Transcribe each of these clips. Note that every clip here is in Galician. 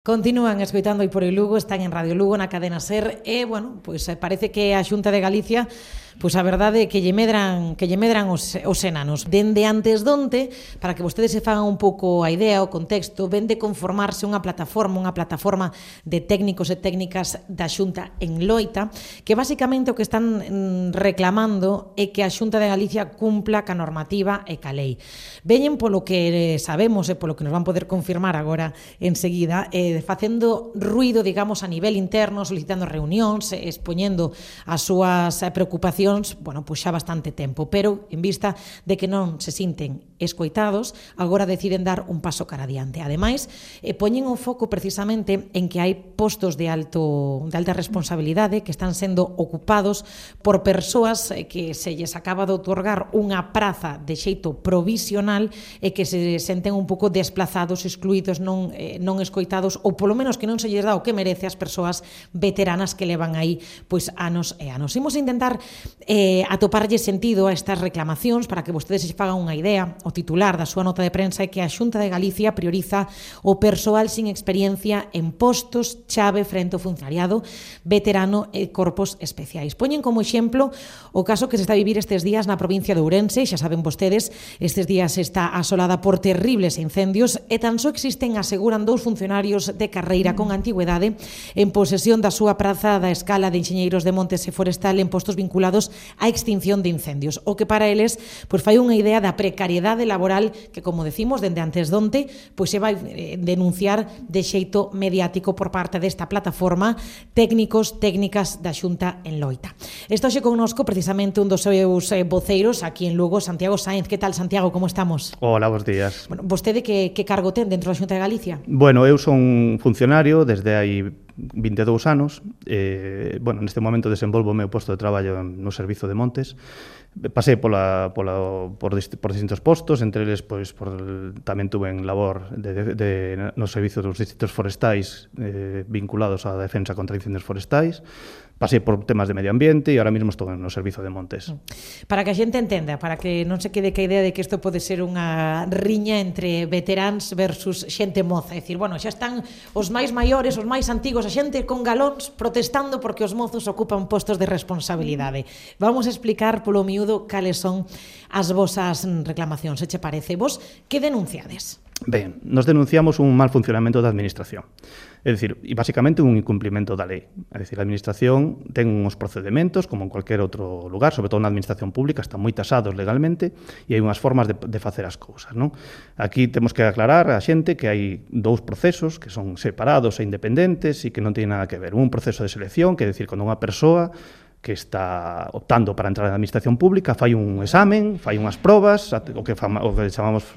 Continúan escoitando aí por o Lugo, están en Radio Lugo, na cadena SER, e, bueno, pois parece que a Xunta de Galicia, pois a verdade é que lle medran os enanos. Dende antes donte, para que vostedes se fagan un pouco a idea, o contexto, ven de conformarse unha plataforma de técnicos e técnicas da Xunta en Loita, que basicamente o que están reclamando é que a Xunta de Galicia cumpla ca normativa e ca lei. Veñen polo que sabemos e polo que nos van poder confirmar agora enseguida, facendo ruido, digamos, a nivel interno, solicitando reunións, expoñendo as súas preocupacións, bueno, pois xa bastante tempo, pero en vista de que non se sinten escoitados, agora deciden dar un paso cara adiante. Ademais, poñen o foco precisamente en que hai postos de alta responsabilidade que están sendo ocupados por persoas que se lles acaba de outorgar unha praza de xeito provisional e que se senten un pouco desplazados, excluídos, non escoitados, ou polo menos que non se lles dá o que merece as persoas veteranas que levan aí pois anos e anos. Imos intentar atoparlle sentido a estas reclamacións para que vostedes se fagan unha idea. O titular da súa nota de prensa é que a Xunta de Galicia prioriza o persoal sin experiencia en postos chave frente ao funcionariado veterano e corpos especiais. Poñen como exemplo o caso que se está a vivir estes días na provincia de Ourense. Xa saben vostedes, estes días está asolada por terribles incendios e tan só existen, aseguran, 2 funcionarios de carreira con antigüedade en posesión da súa praza da Escala de Enxeñeiros de Montes e Forestal en postos vinculados á extinción de incendios, o que para eles pois fai unha idea da precariedade laboral que, como decimos, dende antes donte pois se vai denunciar de xeito mediático por parte desta plataforma técnicas da Xunta en Loita. Está hoxe connosco precisamente un dos seus voceiros aquí en Lugo, Santiago Sáenz. Que tal, Santiago, como estamos? Hola, bons días. Bueno, vostede que cargo ten dentro da Xunta de Galicia? Bueno, eu son funcionario desde hai 22 anos. Neste momento desenvolvo o meu posto de traballo no Servizo de Montes. Pasei por distintos postos, entre eles tamén tuve en labor no servizo dos distritos forestais vinculados á defensa contra incendios forestais. Pasei por temas de medio ambiente e ahora mesmo estou no Servizo de Montes. Para que a xente entenda, para que non se quede que a idea de que isto pode ser unha riña entre veteráns versus xente moza. É dicir, bueno, xa están os máis maiores, os máis antigos, a xente con galóns protestando porque os mozos ocupan postos de responsabilidade. Vamos a explicar polo miúdo cales son as vosas reclamacións. Se che parece, vos que denunciades? Ben, nos denunciamos un mal funcionamento da administración. É dicir, e basicamente un incumplimento da lei. É dicir, a administración ten uns procedementos como en cualquier outro lugar, sobre todo na administración pública, están moi tasados legalmente e hai unhas formas de facer as cousas, non? Aquí temos que aclarar a xente que hai 2 procesos que son separados e independentes e que non teñen nada que ver. Un proceso de selección, que é dicir, cando unha persoa que está optando para entrar na administración pública fai un examen, fai unhas probas, o que chamamos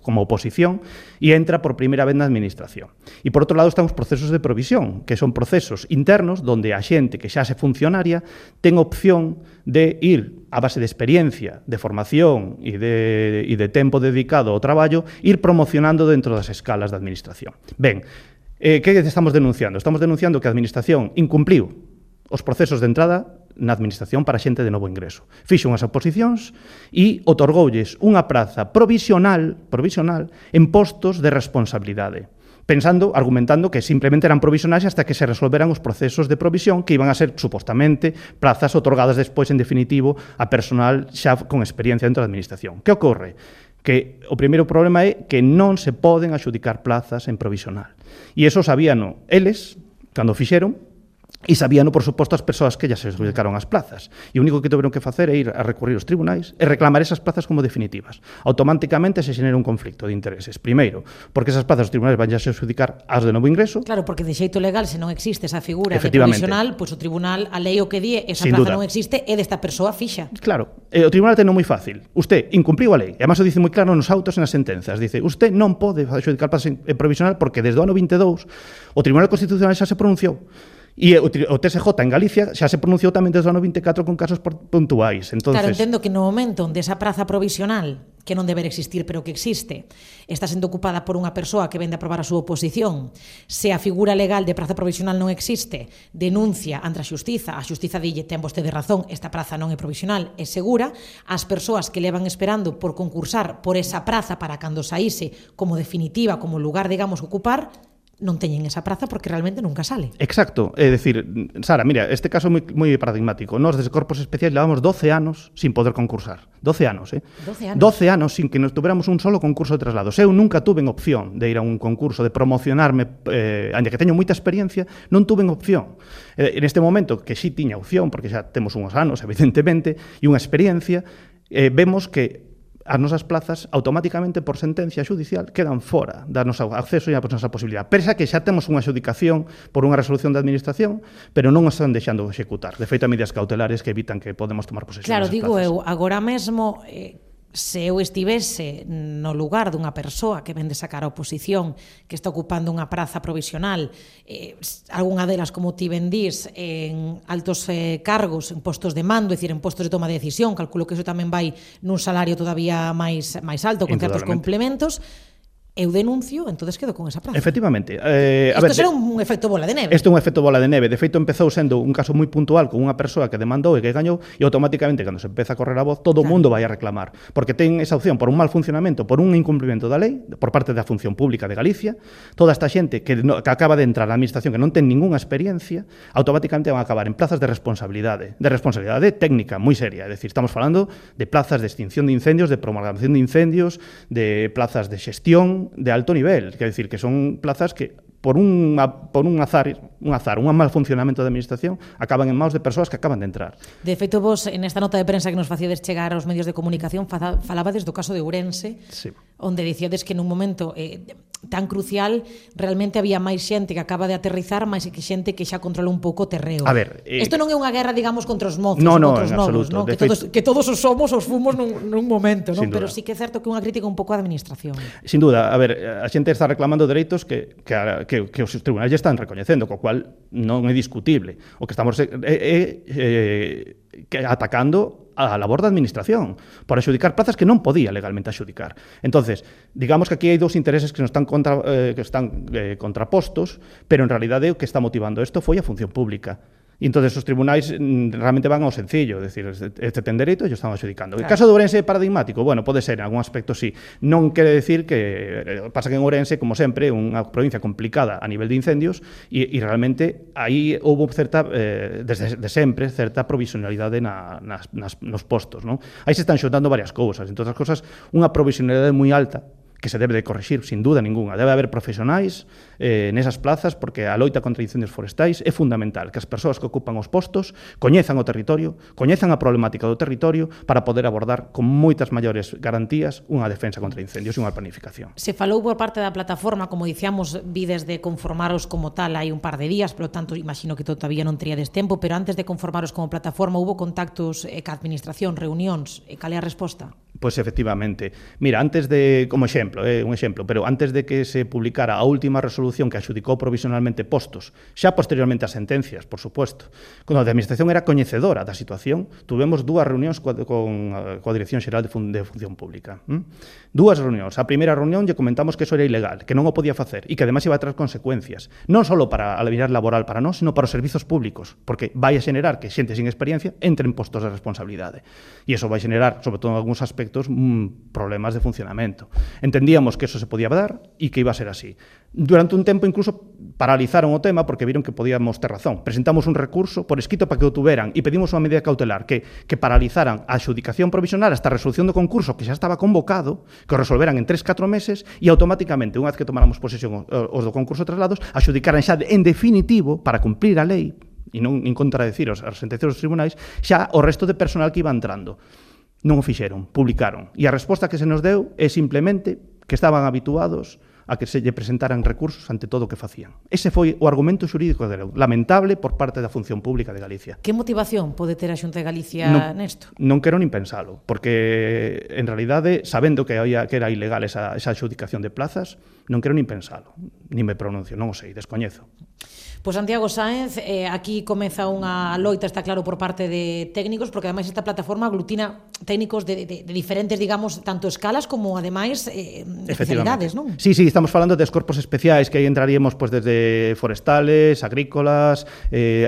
como oposición, e entra por primeira vez na administración. E por outro lado están os procesos de provisión, que son procesos internos onde a xente que xa se funcionaria ten opción de ir a base de experiencia, de formación e de tempo dedicado ao traballo, ir promocionando dentro das escalas da administración. Ben, que estamos denunciando? Estamos denunciando que a administración incumpliu os procesos de entrada na administración para xente de novo ingreso. Fixo unhas oposicións e otorgoulles unha praza provisional en postos de responsabilidade, argumentando que simplemente eran provisionais hasta que se resolveran os procesos de provisión que iban a ser, supostamente, plazas otorgadas despois, en definitivo, a personal xa con experiencia dentro da administración. Que ocorre? Que o primeiro problema é que non se poden adxudicar plazas en provisional. E iso sabíano eles, cando fixeron, e sabíano, por suposto, as persoas que ya se adjudicaron as plazas. E o único que tiveron que facer é ir a recurrir aos tribunais e reclamar esas plazas como definitivas. Automáticamente se xenera un conflicto de intereses. Primeiro, porque esas plazas os tribunais van a adjudicar as de novo ingreso. Claro, porque de xeito legal, se non existe esa figura de provisional, pois o tribunal, a lei o que di, esa plaza non existe, é desta persoa fixa. Claro, o tribunal ten moi fácil. Usted incumpliu a lei. E además o dice moi claro nos autos e nas sentenzas. Dice, usted non pode adjudicar plazas en provisional porque desde o ano 22 o Tribunal Constitucional xa se pronunciou. E o TSJ en Galicia xa se pronunciou tamén desde o ano 24 con casos puntuais. Claro, entendo que no momento onde esa praza provisional, que non deber existir, pero que existe, está sendo ocupada por unha persoa que vende a aprobar a súa oposición, se a figura legal de praza provisional non existe, denuncia ante a xustiza dille, ten vostede razón, esta praza non é provisional, é segura, as persoas que levan esperando por concursar por esa praza para cando saíse como definitiva, como lugar, digamos, ocupar, non teñen esa praza porque realmente nunca sale. Exacto, é dicir, Sara, mira, este caso é moi paradigmático. Nós desde Corpos Especiais levamos 12 anos sin poder concursar. 12 anos, 12 anos. 12 anos sin que nos tuveramos un solo concurso de traslados. Eu nunca tuve opción de ir a un concurso, de promocionarme, ainda que teño moita experiencia, non tuve opción. En este momento, que sí tiña opción, porque xa temos uns anos, evidentemente, e unha experiencia, vemos que as nosas plazas automáticamente por sentencia judicial quedan fora da nosa acceso e a nosa posibilidade. Pensa que xa temos unha adjudicación por unha resolución da administración, pero non os están deixando executar. De feito, medidas cautelares que evitan que podemos tomar posesión Claro, desas digo plazas. eu, agora mesmo, se eu estivese no lugar dunha persoa que vende sacar a oposición, que está ocupando unha praza provisional, algunha delas, como ti vendís, en altos cargos, en postos de mando, é dicir, en postos de toma de decisión, calculo que iso tamén vai nun salario todavía máis alto, con certos complementos, eu denuncio, entonces quedo con esa praza. Efectivamente. Isto será un efecto bola de neve. Isto é un efecto bola de neve. De feito, empezou sendo un caso moi puntual con unha persoa que demandou e que gañou, e automáticamente, cando se empeza a correr a voz, todo o mundo vai a reclamar. Porque ten esa opción por un mal funcionamento, por un incumprimento da lei, por parte da Función Pública de Galicia. Toda esta xente que acaba de entrar na administración, que non ten ningunha experiencia, automáticamente van a acabar en plazas de responsabilidade técnica moi seria. É dicir, estamos falando de plazas de extinción de incendios, de promulgación de incendios, de plazas de xestión de alto nivel, quer decir, que son plazas que por un azar, un mal funcionamento da administración, acaban en maus de persoas que acaban de entrar. De feito, vos, en esta nota de prensa que nos facíades chegar aos medios de comunicación, falabades do caso de Ourense, sí, onde dicíades que nun momento tan crucial realmente había máis xente que acaba de aterrizar, máis que xente que xa controla un pouco o terreo. A ver, isto non é unha guerra, digamos, contra os mozos, contra os novos, no? que todos os somos, os fumos nun momento, non? Pero duda. sí que é certo que unha crítica un pouco á administración. Sin duda, a ver, a xente está reclamando dereitos que os tribunais ya están recoñecendo, co cual non é discutible. O que estamos atacando a labor da administración por adxudicar plazas que non podía legalmente adxudicar. Entonces, digamos que aquí hai dous intereses que están contrapostos, pero en realidade o que está motivando isto foi a función pública. E entonces os tribunais realmente van ao sencillo, é dicir, este ten dereito e yo están adxudicando. Claro. O caso de Ourense é paradigmático, bueno, pode ser, en algún aspecto sí. Non quere decir que pasa que en Ourense, como sempre, unha provincia complicada a nivel de incendios e realmente aí houve certa, desde sempre, certa provisionalidade nos postos, non? Aí se están xuntando varias cousas, entre outras cousas, unha provisionalidade moi alta que se debe de corrixir, sin duda ninguna. Debe haber profesionais nesas plazas, porque a loita contra incendios forestais é fundamental que as persoas que ocupan os postos coñezan o territorio, coñezan a problemática do territorio para poder abordar con moitas maiores garantías unha defensa contra incendios e unha planificación. Se falou por parte da plataforma, como dicíamos, vides de conformaros como tal hai un par de días, polo tanto, imagino que todavía non teríades tempo, pero antes de conformaros como plataforma, hubo contactos ca administración, reunións, cal é a resposta? Pois efectivamente. Mira, antes de, como exemplo, un exemplo, pero antes de que se publicara a última resolución que adxudicou provisionalmente postos, xa posteriormente as sentencias, por suposto, cando a administración era coñecedora da situación, tuvemos dúas reunións coa Dirección Xeral de Función Pública. Dúas reunións. A primeira reunión lle comentamos que eso era ilegal, que non o podía facer e que ademais iba a traer consecuencias, non só para a vida laboral para nós, sino para os servizos públicos, porque vai a xenerar que xente sin experiencia entre en postos de responsabilidade. E iso vai xenerar, sobre todo en algúns aspectos, problemas de funcionamento. Entendíamos que eso se podía dar e que iba a ser así. Durante un tempo incluso paralizaron o tema porque viron que podíamos ter razón. Presentamos un recurso por escrito para que o tuveran e pedimos unha medida cautelar que paralizaran a adxudicación provisional hasta a resolución do concurso que xa estaba convocado, que o resolveran en 3-4 meses e automáticamente, unha vez que tomáramos posesión os do concurso de traslados, adxudicaran xa en definitivo para cumplir a lei e non en contradecir as sentencias dos tribunais xa o resto de personal que iba entrando. Non o fixeron, publicaron. E a resposta que se nos deu é simplemente que estaban habituados a que se lle presentaran recursos ante todo o que facían. Ese foi o argumento xurídico de Leu, lamentable por parte da Función Pública de Galicia. Que motivación pode ter a Xunta de Galicia nesto? Non quero nin pensalo, porque en realidade, sabendo que era ilegal esa adxudicación de plazas, non quero nin pensalo, nin me pronuncio, non o sei, descoñezo. Pois Santiago Sáenz, aquí comeza unha loita, está claro, por parte de técnicos, porque ademais esta plataforma aglutina técnicos de diferentes, digamos, tanto escalas como ademais especialidades, non? Sí, estamos falando de corpos especiais, que aí entraríamos pues, desde forestales, agrícolas,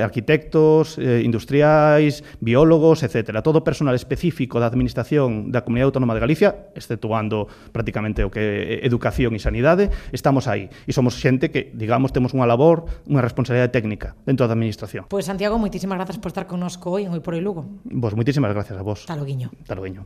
arquitectos, industriais, biólogos, etcétera. Todo personal específico da Administración da Comunidade Autónoma de Galicia, exceptuando prácticamente o que é educación e sanidade, estamos aí. E somos xente que, digamos, temos unha labor, unha responsabilidade técnica dentro da Administración. Pois Santiago, moitísimas grazas por estar connosco hoy en Hoy por Hoy Lugo. Vos, moitísimas gracias a vos. Hasta loguiño. Hasta loguiño.